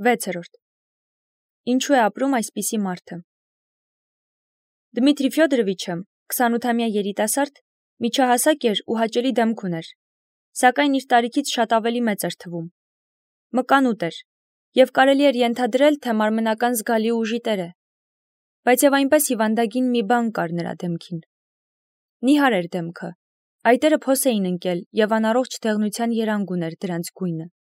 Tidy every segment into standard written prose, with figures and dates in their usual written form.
6. Ինչու է ապրում այսպիսի մարդը։ Դմիտրի Ֆյոդորովիչը 28-ամյա երիտասարդ միջահասակ էր ու հաճելի դեմք ուներ, սակայն իր տարիքից շատ ավելի մեծ էր թվում։ Մկանուտ էր, և կարելի էր ենթադրել, թե մարմնական զգալի ուժի տեր է, բայց և այնպես հիվանդագին մի բան կար նրա դեմքին։ Նիհար էր դեմքը, այտերը փոս էին ընկել և անառողջ դեղնության երանգ ուներ դրանց գույնը։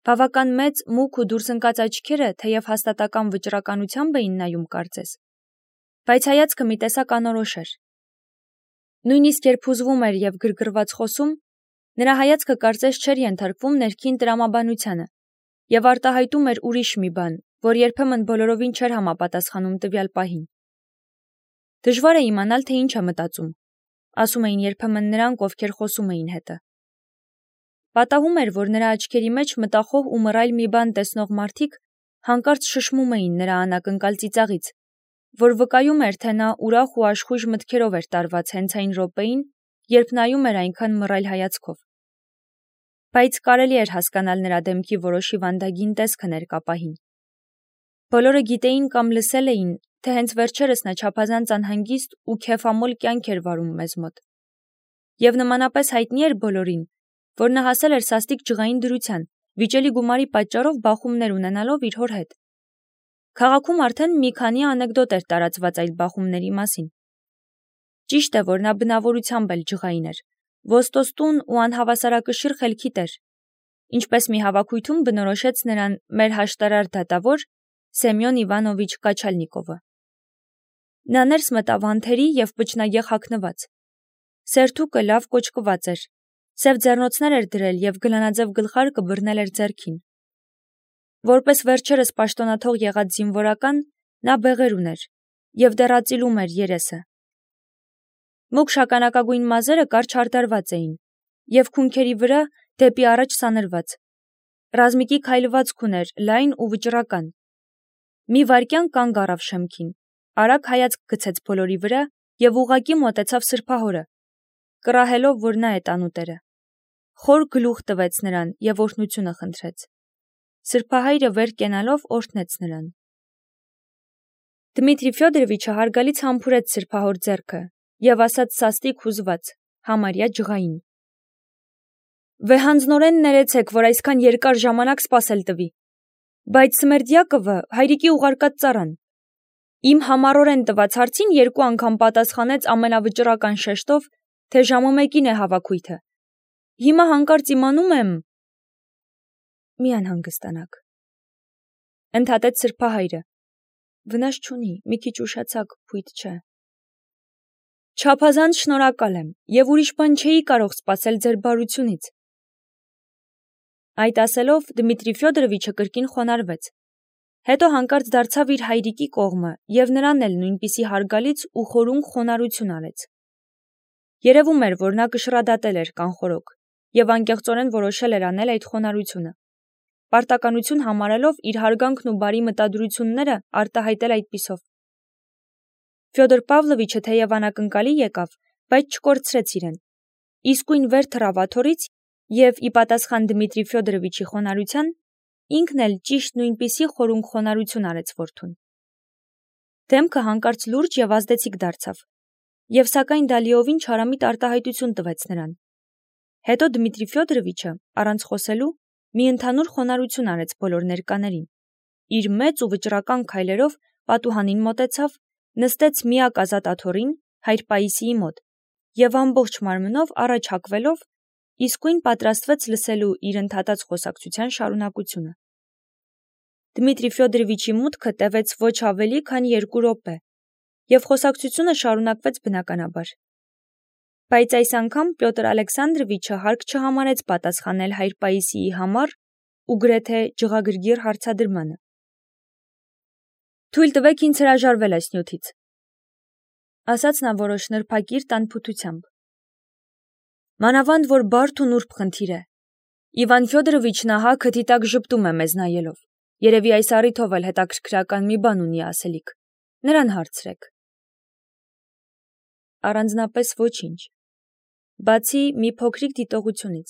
Բավական մեծ, մուգ ու դուրս ընկած աչքերը թեև հաստատական վճռականությամբ էին նայում կարծես, բայց հայացքը մի տեսակ անորոշ էր։ Նույնիսկ երբ հուզվում էր և գրգռված խոսում, նրա հայացքը կարծես չէր ենթարկվում ներքին տրամաբանությանը և արտահայտում էր ուրիշ մի բան, որ երբեմն բոլորովին չէր համապատասխանում տվյալ պահին։ Դժվար է իմանալ, թե ինչ է մտածում, ասում էին երբեմն նրանք, ովքեր խոսում էին հետը։ Պատահում էր, որ նրա աչքերի մեջ մտախոհ ու մռայլ մի բան տեսնող մարդիկ հանկարծ շշմում էին նրա անակնկալ ծիծաղից, որ վկայում էր, թե նա ուրախ ու աշխույժ մտքերով էր տարված հենց այն րոպեին, երբ նայում էր այնքան մռայլ հայացքով։ Բայց կարելի էր հասկանալ նրա դեմքի որոշ հիվանդագին տեսքը ներկա պահին։ Բոլորը գիտեին կամ լսել էին, թե հենց վերջերս նա չափազանց անհանգիստ ու քեֆամոլ կյանք էր վարում մեզ մոտ։ Եվ նմանապես հայտնի էր բոլորին, որ նա հասել էր սաստիկ ջղային դրության, վիճելի գումարի պատճառով բախումներ ունենալով իր հոր հետ։ Քաղաքում արդեն մի քանի անեկդոտ էր տարածված այդ բախումների մասին։ Ճիշտ է, որ նա բնավորությամբ էլ ջղային էր, ոստոստուն ու անհավասարակշիռ խելքի տեր, ինչպես մի հավաքույթում բնորոշեց նրան մեր հաշտարար դատավոր Սեմյոն Իվանովիչ Կաչալնիկովը։ Նա ներս մտավ անթերի և պճնագեղ հագնված։ Սերթուկը լավ կոճկված էր, սև ձեռնոցներ էր դրել և գլանաձև գլխարկը բռնել էր ձեռքին։ Որպես վերջերս պաշտոնաթող եղած զինվորական, նա բեղեր ուներ և դեռ ածիլում էր երեսը։ Մուգ շագանակագույն մազերը կարճ հարդարված էին և քունքերի վրա դեպի առաջ սանրված։ Ռազմիկի քայլվածք ուներ, լայն ու վճռական։ Մի վայրկյան կանգ առավ շեմքին, արագ հայացք գցեց բոլորի վրա և ուղղակի մոտեցավ սրբահորը, կռահելով, որ նա է տանուտերը։ Խոր գլուխ տվեց նրան և օրհնությունը խնդրեց։ Սրբահայրը վեր կենալով օրհնեց նրան։ Դմիտրի Ֆյոդորովիչը հարգալից համբուրեց սրբահոր ձեռքը և ասաց սաստիկ հուզված, համարյա ջղային. «Վեհանձնորեն ներեցեք, որ այսքան երկար ժամանակ սպասել տվի, բայց Սմերդյակովը հայրիկի ուղարկած ծառան։ Իմ համառորեն տված հարցին 2 անգամ պատասխանեց ամենավճռական շեշտով, թե ժամը 1-ին է հավաքույթը։ Հիմա հանկարծ իմանում եմ…» «Մի անհանգստանաք», ընդհատեց սրբահայրը։ «Վնաս չունի, մի քիչ ուշացաք, փույթ չէ»։ «Չափազանց շնորհակալ եմ և ուրիշ բան չէի կարող սպասել ձեր բարությունից»։ Այդ ասելով Դմիտրի Ֆյոդորովիչը կրկին խոնարհվեց։ Հետո հանկարծ դարձավ իր հայրիկի կողմը և նրան էլ նույնպիսի հարգալից ու խորունկ խոնարհություն արեց։ Երևում էր, որ նա կշռադատել էր կանխորոք և անկեղծորեն որոշել էր անել այդ խոնարհությունը, պարտականություն համարելով իր հարգանքն ու բարի մտադրությունները արտահայտել այդպիսով։ Ֆյոդոր Պավլովիչը թեև անակնկալի եկավ, բայց չկորցրեց իրեն, իսկույն վեր թռավ աթոռից և ի պատասխան Դմիտրի Ֆյոդորովիչի խոնարհության, ինքն էլ ճիշտ նույնպիսի խորունկ խոնարհություն արեց որդուն։ Դեմքը հանկարծ լուրջ և ազդեցիկ դարձավ, և սակայն դա լիովին չարամիտ արտահայտություն տվեց նրան։ Հետո Դմիտրի Ֆյոդորովիչը, առանց խոսելու, մի ընդհանուր խոնարհություն արեց բոլոր ներկաներին, իր մեծ ու վճռական քայլերով պատուհանին մոտեցավ, նստեց միակ ազատ աթոռին, հայր Պաիսիի մոտ, և ամբողջ մարմնով առաջ հակվելով, իսկույն պատրաստվեց լսելու իր ընդհատած խոսակցության շարունակությունը։ Դմիտրի Ֆյոդորովիչի մուտքը տևեց ոչ ավելի, քան 2 րոպե, և խոսակցությունը շարունակվեց բնականաբար։ Բայց այս անգամ Պյոտր Ալեքսանդրովիչը հարկ չհամարեց պատասխանել հայր Պաիսիի համառ ու գրեթե ջղագրգիռ հարցադրմանը։ «Թույլ տվեք ինձ հրաժարվել այս նյութից», ասաց նա որոշ նրբակիրթ անփութությամբ։ «Մանավանդ որ բարդ ու նուրբ խնդիր է։ Իվան Ֆյոդորովիչն ահա քթի տակ ժպտում է մեզ նայելով, երևի այս առիթով էլ հետաքրքրական մի բան ունի ասելիք, նրան հարցրեք»։ Առանձնապես ոչինչ, բացի մի փոքրիկ դիտողությունից,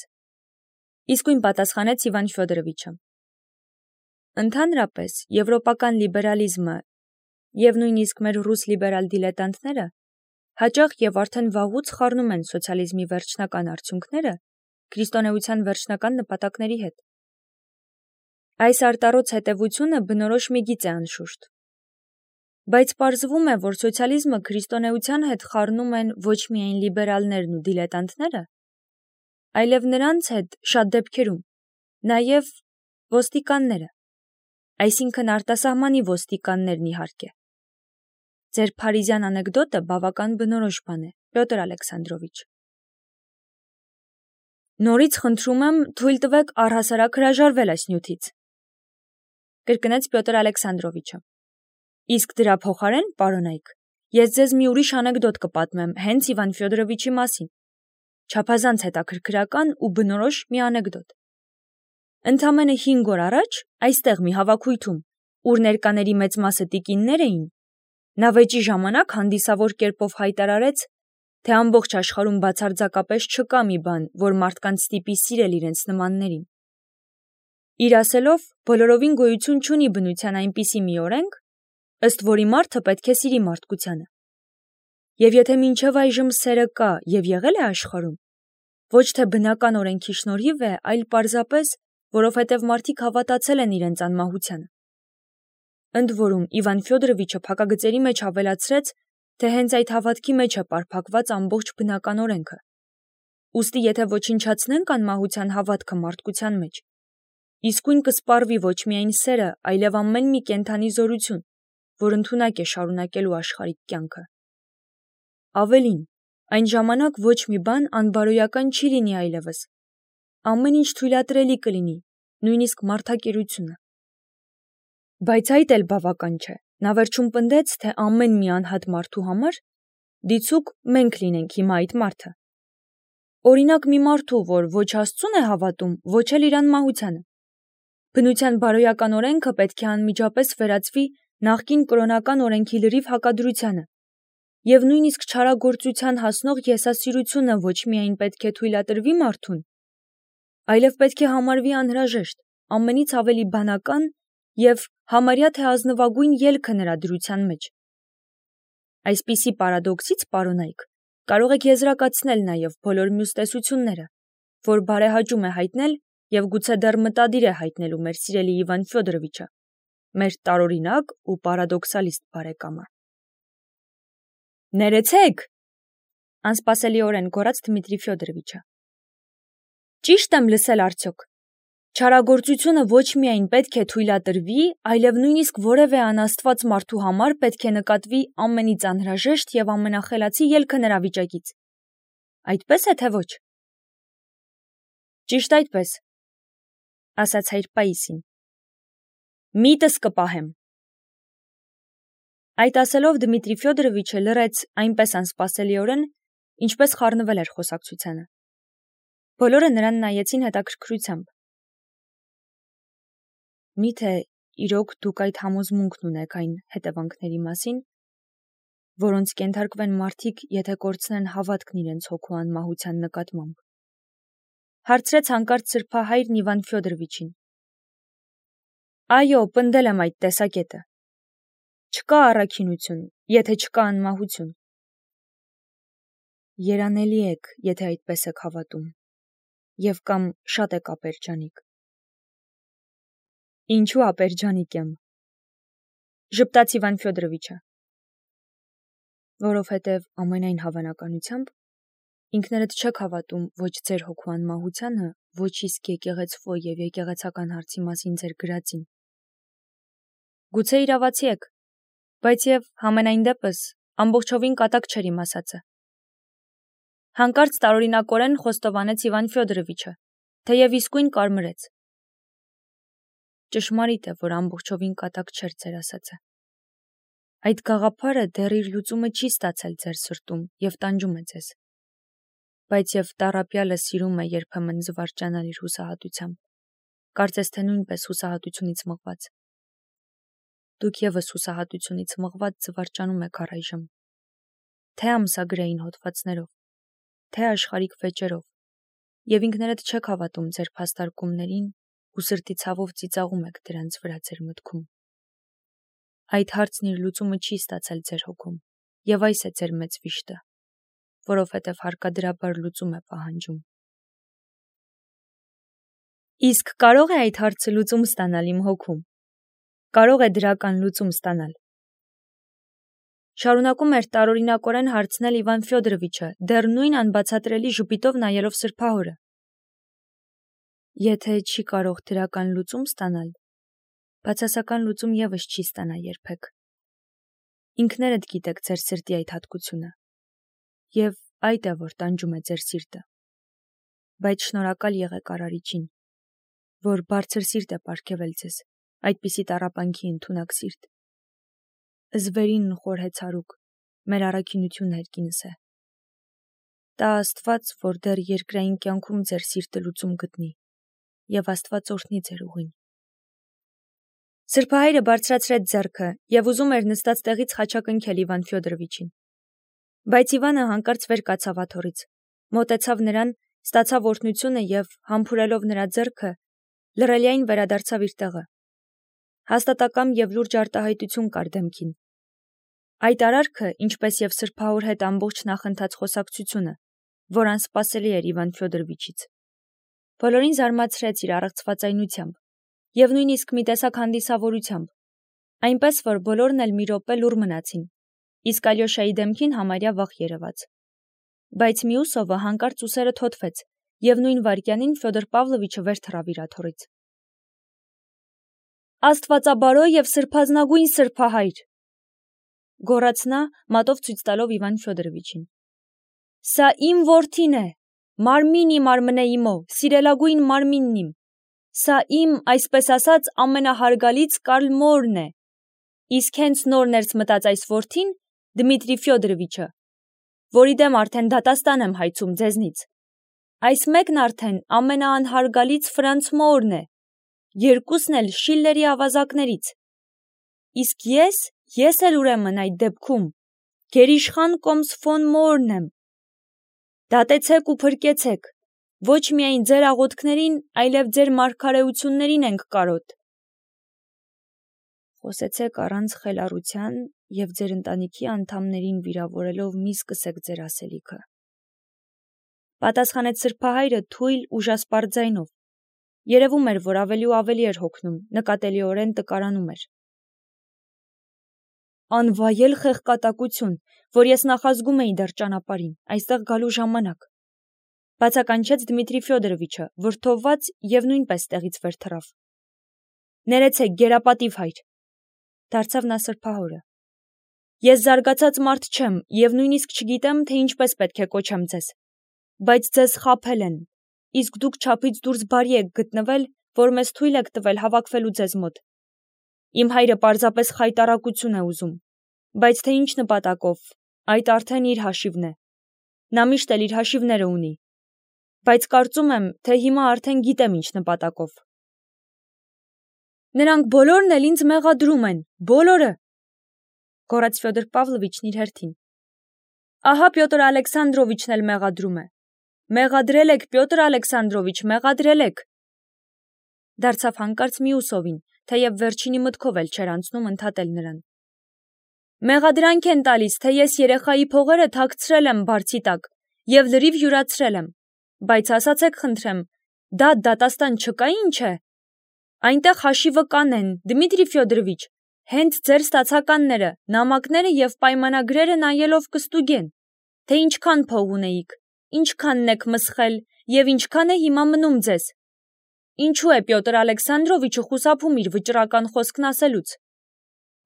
իսկույն պատասխանեց Իվան Ֆյոդորովիչը։ Ընդհանրապես, եվրոպական լիբերալիզմը եւ նույնիսկ մեր ռուս լիբերալ դիլետանտները հաճախ եւ արդեն վաղուց խառնում են սոցիալիզմի վերջնական արդյունքները քրիստոնեության վերջնական նպատակների հետ։ Այս արտառոց հետևությունը բնորոշ մի գիծ է անշուշտ։ Բայց պարզվում է, որ սոցիալիզմը քրիստոնեության հետ խառնում են ոչ միայն լիբերալներն ու դիլետանտները, այլև նրանց հետ շատ դեպքերում նաև ոստիկանները, այսինքն արտասահմանի ոստիկաններն իհարկե։ Ձեր փարիզյան անեկդոտը բավական բնորոշ բան է, Պյոտր Ալեքսանդրովիչ։ Նորից խնդրում եմ, թույլ տվեք առհասարակ հրաժարվել այս նյութից, կրկնեց Պյոտր Ալեքսանդրովիչը։ Իսկ դրա փոխարեն, պարոնայք, ես ձեզ մի ուրիշ անեկդոտ կպատմեմ հենց Իվան Ֆյոդորովիչի մասին, չափազանց հետաքրքրական ու բնորոշ մի անեկդոտ։ Ընդամենը 5 օր առաջ այստեղ մի հավաքույթում, ուր ներկաների մեծ մասը տիկիններ էին, նա վեճի ժամանակ հանդիսավոր կերպով հայտարարեց, թե ամբողջ աշխարհում բացարձակապես չկա մի բան, որ մարդկանց ստիպի սիրել իրենց նմաններին։ Իր ասելով, բոլորովին գոյություն չունի բնության այնպիսի մի օրենք, ըստ որի մարդը պետք է սիրի մարդկությանը։ Եվ եթե մինչև այժմ սերը կա եւ եղել է աշխարհում, ոչ թե բնական օրենքի շնորհիվ է, այլ պարզապես, որովհետև մարդիկ հավատացել են իրենց անմահությանը։ Ընդ որում Իվան Ֆյոդորովիչը փակագծերի մեջ ավելացրեց, թե հենց այդ հավատքի մեջ է պարփակված ամբողջ բնական օրենքը։ Ուստի եթե ոչնչացնենք անմահության հավատքը մարդկության մեջ, իսկույն կսպառվի ոչ միայն սերը, այլև ամեն մի կենդանի զորություն, որ ընդունակ է շարունակելու աշխարհիկ կյանքը։ Ավելին, այն ժամանակ ոչ մի բան անբարոյական չի լինի այլևս։ Ամեն ինչ թույլատրելի կլինի, նույնիսկ մարդակերությունը։ Բայց այդ էլ բավական չէ։ Նա վերջում պնդեց, թե ամեն մի անհատ մարդու համար դիցուկ մենք լինենք հիմա այդ մարդը։ Օրինակ մի մարդու, որ ոչ Աստծուն է հավատում, ոչ էլ իր անմահությանը։ Բնության բարոյական օրենքը պետք է անմիջապես վերածվի նախկին կրոնական օրենքի լրիվ հակադրությանը, եւ նույնիսկ չարագործության հասնող եսասիրությունը ոչ միայն պետք է թույլատրվի մարդուն, այլև պետք է համարվի անհրաժեշտ, ամենից ավելի բանական եւ համարյա թե ազնվագույն ելքը նրա դրության մեջ։ Այսպիսի պարադոքսից, պարոնայք, կարող եք եզրակացնել նաև բոլոր մյուս տեսությունները, որ բարեհաճում է հայտնել եւ գուցե դեռ մտադիր է հայտնելու մեր սիրելի Իվան Ֆյոդորովիչը, մեր տարօրինակ ու պարադոքսալիստ բարեկամը։ Ներեցեք, անսպասելիորեն գոռաց Դմիտրի Ֆյոդորովիչը։ Ճիշտ եմ լսել արդյոք։ Չարագործությունը ոչ միայն պետք է թույլատրվի, այլև նույնիսկ որևէ անաստված մարդու համար պետք է նկատվի ամենից անհրաժեշտ եւ ամենախելացի ելքը նրա վիճակից։ Այդպես է թե ոչ։ Ճիշտ այդպես, ասաց հայր Պաիսին։ Միտս կպահեմ։ Այդ ասելով Դմիտրի Ֆյոդորովիչը լռեց այնպես անսպասելիորեն, ինչպես խառնվել էր խոսակցությանը։ Բոլորը նրան նայեցին հետաքրքրությամբ։ Միթե իրոք դուք այդ համոզմունքն ունեք այն հետևանքների մասին, որոնց կենթարկվեն մարդիկ, եթե կորցնեն հավատքն իրենց հոգու անմահության նկատմամբ։ Հարցրեց հանկարծ սրբահայրն Իվան Ֆյոդորովիչին։ Այո, պնդել եմ այդ տեսակետը։ Չկա առաքինություն, եթե չկա անմահություն։ Երանելի եք, եթե այդպես եք հավատում, եւ կամ շատ եք ապերջանիկ։ Ինչու ապերջանիկ եմ, ժպտաց Իվան Ֆյոդորովիչը։ Որովհետև ամենայն հավանականությամբ ինքներդ չեք հավատում ոչ ձեր հոգու անմահությանը, ոչ իսկ եկեղեցվո եւ եկեղեցական հարցի մասին ձեր գրածին։ Գուցե իրավացի եք, բայց եւ համենայն դեպս ամբողջովին կատակ չէր իմ ասածը։ Հանկարծ տարօրինակորեն խոստովանեց Իվան Ֆյոդորովիչը, թեև իսկույն կարմրեց։ Ճշմարիտ է, որ ամբողջովին կատակ չէր ձեր ասածը։ Այդ գաղափարը դեռ իր լուծումը չի ստացել ձեր սրտում եւ տանջում է ձեզ։ Բայց եւ տառապյալը սիրում է երբեմն զվարճանալ իր հուսահատությամբ, կարծես թե նույնպես հուսահատությունից մղված։ Դուք եւս հուսահատությունից մղված զվարճանում եք առայժմ, թե ամսագրային հոդվածներով, թե աշխարհիկ վեճերով, եւ ինքներդ չեք հավատում ձեր փաստարկումներին, ու սրտի ցավով ծիծաղում եք դրանց վրա ձեր մտքում։ Այդ հարցն իր լուծումը չի ստացել ձեր հոգում, եւ այս է ձեր մեծ վիշտը, որովհետև հարկադրաբար լուծում է պահանջում։ Իսկ կարող է այդ հարցը լուծում ստանալ իմ հոգում։ Կարող է դրական լուծում ստանալ։ Շարունակում էր տարօրինակորեն հարցնել Իվան Ֆյոդորովիչը, դեռ նույն անբացատրելի ժպիտով նայելով սրբահորը։ Եթե չի կարող դրական լուծում ստանալ, բացասական լուծում եւս չի ստանա երբեք։ Ինքներդ գիտեք ձեր սրտի այդ հատկությունը, եւ այդ է, որ տանջում է ձեր սիրտը։ Բայց շնորհակալ եղեք Արարիչին, որ բարձր սիրտ է պարգևել ձեզ, այդպիսի տառապանքի ընդունակ սիրտ։ Զվերին խորհեցարուկ, մեր առաքինություն հերկինս է։ Տա Աստված, որ դեռ երկրային կյանքում ձեր սիրտը լուծում գտնի, եւ Աստված օրհնի ձեր ուղին։ Սրբահայրը բարձրացրեց ձեռքը եւ ուզում էր նստած տեղից խաչակնքել Իվան Ֆյոդորովիչին։ Բայց Իվանը հանկարծ վեր կացավ աթոռից, մոտեցավ նրան, ստացավ օրհնությունը եւ, համբուրելով նրա ձեռքը, լռելիային վերադարձավ իր տեղը։ Հաստատակամ եւ լուրջ արտահայտություն կար դեմքին։ Այդ արարքը, ինչպես եւ սրբահոր հետ ամբողջ նախընթաց խոսակցությունը, որ անսպասելի էր Իվան Ֆյոդորովիչից, բոլորին զարմացրեց իր առողջվածայնությամբ եւ նույնիսկ մի տեսակ հանդիսավորությամբ, այնպես որ բոլորն էլ մի րոպե լուռ մնացին, իսկ Ալյոշայի դեմքին համարյա վախ երևաց։ Բայց Միուսովը հանկարծ ուսերը թոթվեց եւ նույն վայրկյանին Ֆյոդոր Պավլովիչը վեր թռավ իր աթոռից։ Աստվածաբարո եւ սրբազնագույն սրբահայր, գոռաց նա, մատով ցույց տալով Իվան Ֆյոդորովիչին։ Սա իմ որդին է, մարմին իմ արմնե իմո, սիրելագույն մարմինն իմ։ Սա իմ, այսպես ասած, ամենահարգալից Կարլ մորն է։ Իսկ հենց նոր ներս մտած այս որդին, Դմիտրի Ֆյոդորովիչը, որի դեմ արդեն դատաստան եմ հայցում ձեզնից։ Այս մեկն արդեն ամենաանհարգալից Ֆրանց մորն է, երկուսն էլ Շիլլերի ավազակներից։ Իսկ ես էլ ուրեմն այդ դեպքում գերիշխան կոմս ֆոն Մորն եմ։ Դատեցեք ու փրկեցեք, ոչ միայն ձեր աղոթքներին, այլև ձեր մարգարեություններին ենք կարոտ։ Խոսեցեք առանց խելառության եւ ձեր ընտանիքի անդամներին վիրավորելով մի սկսեք ձեր ասելիքը։ Պատասխանեց սրբահայրը թույլ ուժասպառ ձայնով։ Երևում էր, որ ավելի ու ավելի էր հոգնում, նկատելիորեն տկարանում էր։ Անվայել խեղկատակություն, որ ես նախազգում էի դեռ ճանապարհին, այստեղ գալու ժամանակ, բացականչեց Դմիտրի Ֆյոդորովիչը, վրդովված եւ նույնպես տեղից վեր թռավ։ Ներեցեք, գերապատիվ հայր, դարձավ նա սրբահորը։ Ես զարգացած մարդ չեմ եւ նույնիսկ չգիտեմ, թե ինչպես պետք է կոչեմ ձեզ, բայց ձեզ խաբել են, իսկ դուք չափից դուրս բարի եք գտնվել, որ մեզ թույլ եք տվել հավաքվելու ձեզ մոտ։ Իմ հայրը պարզապես խայտառակություն է ուզում, բայց թե ինչ նպատակով, այդ արդեն իր հաշիվն է։ Նա միշտ էլ իր հաշիվները ունի, բայց կարծում եմ, թե հիմա արդեն գիտեմ ինչ նպատակով։ Նրանք բոլորն էլ ինձ մեղադրում են, բոլորը, գոռաց Ֆյոդոր Պավլովիչն իր հերթին։ Ահա Պյոտր Ալեքսանդրովիչն էլ մեղադրում է։ Մեղադրել եք, Պյոտր Ալեքսանդրովիչ, մեղադրել եք։ Դարձավ հանկարծ Միուսովին, թեև վերջինի մտքով էլ չէր անցնում ընդհատել նրան։ Մեղադրանք են տալիս, թե ես երեխայի փողերը թաքցրել եմ բարձի տակ եւ լրիվ յուրացրել եմ, բայց ասացեք խնդրեմ, դա դատաստան չկա ինչ է։ Այնտեղ հաշիվը կանեն, Դմիտրի Ֆյոդորովիչ, հենց ձեր ստացականները, նամակները եւ պայմանագրերը նայելով կստուգեն, թե ինչքան փող ունեիք, ինչքանն եք մսխել եւ ինչքան է հիմա մնում ձեզ։ Ինչու է Պյոտր Ալեքսանդրովիչը խուսափում իր վճռական խոսքն ասելուց։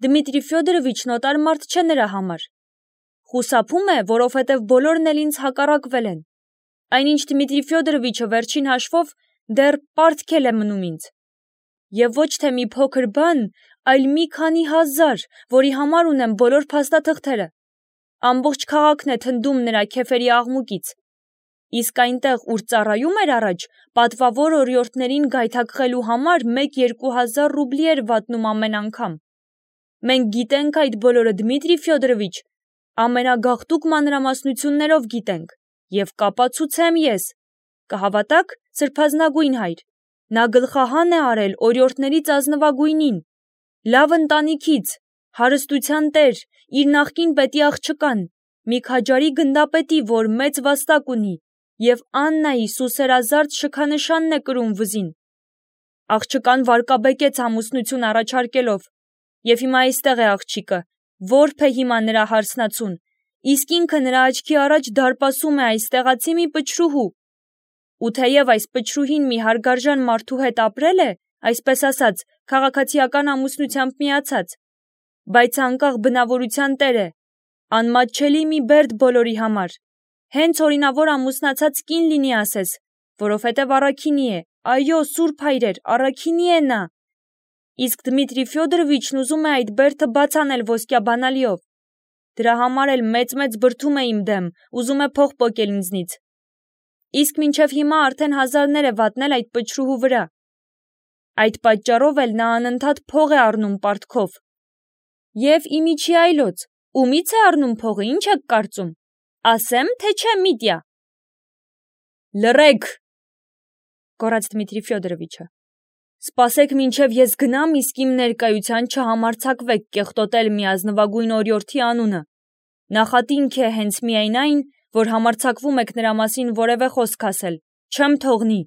Դմիտրի Ֆյոդորովիչն օտար մարդ չէ նրա համար։ Խուսափում է, որովհետև բոլորն էլ ինձ հակառակվել են։ Այնինչ Դմիտրի Ֆյոդորովիչը վերջին հաշվով դեռ պարտքել է մնում ինձ։ Եվ ոչ թե մի փոքր բան, այլ մի քանի հազար, որի համար ունեմ բոլոր փաստաթղթերը։ Ամբողջ քաղաքն է թնդում նրա քեֆերի աղմուկից։ Իսկ այնտեղ, ուր ծառայում էր առաջ, պատվավոր օրիորդներին գայթակղելու համար 1-2 ռուբլի էր վատնում ամեն անգամ։ Մենք գիտենք այդ բոլորը, Դմիտրի Ֆյոդորովիչ, ամենագաղտուկ մանրամասնություններով գիտենք, եւ կապացուցեմ ես, կհավատաք, սրբազնագույն հայր, Նա գլխահան է արել օրիորդներից ազնվագույնին, լավ ընտանիքից, հարստության տեր, իր նախկին պետի աղջկան, մի քաջարի գնդապետի, որ մեծ վաստակ ունի, և Աննայի սուսերազարդ շքանշանն է կրում վզին։ Աղջկան վարկաբեկեց ամուսնություն առաջարկելով, և հիմա այստեղ է աղջիկը, որբ է հիմա նրա հարսնացուն, իսկ ինքը նրա աչքի առաջ դարպասում է այս տեղացի մի պչրուհու։ Ու թեև այս պչրուհին մի հարգարժան մարդու հետ ապրել է, այսպես ասած, քաղաքացիական ամուսնությամբ միացած, բայց անկախ բնավորության տեր է, անմատչելի մի բերդ բոլորի համար, հենց օրինավոր ամուսնացած կին լինի ասես, որովհետև առաքինի է, այո, սուրբ հայրեր, առաքինի է նա։ Իսկ Դմիտրի Ֆյոդորովիչն ուզում է այդ բերդը բաց անել ոսկյա բանալիով։ Դրա համար էլ մեծ բրդում է իմ դեմ, ուզում է փող պոկել ինձնից։ Իսկ մինչև հիմա արդեն հազարներ է վատնել այդ պչրուհու վրա։ Այդ պատճառով էլ նա անընդհատ փող է առնում պարտքով։ Եվ իմիջի այլոց, ումից է առնում փողը, ինչ եք կարծում։ Ասեմ, թե չէ, Միտյա։ Լռեք, գոռաց Դմիտրի Ֆյոդորովիչը։ Սպասեք մինչև ես գնամ, իսկ իմ ներկայության չհամարձակվեք կեղտոտել մի ազնվագույն օրիորդի անունը։ Նախատինք է հենց միայն այն, որ համարձակվում եք նրա մասին որևէ խոսք ասել, չեմ թողնի։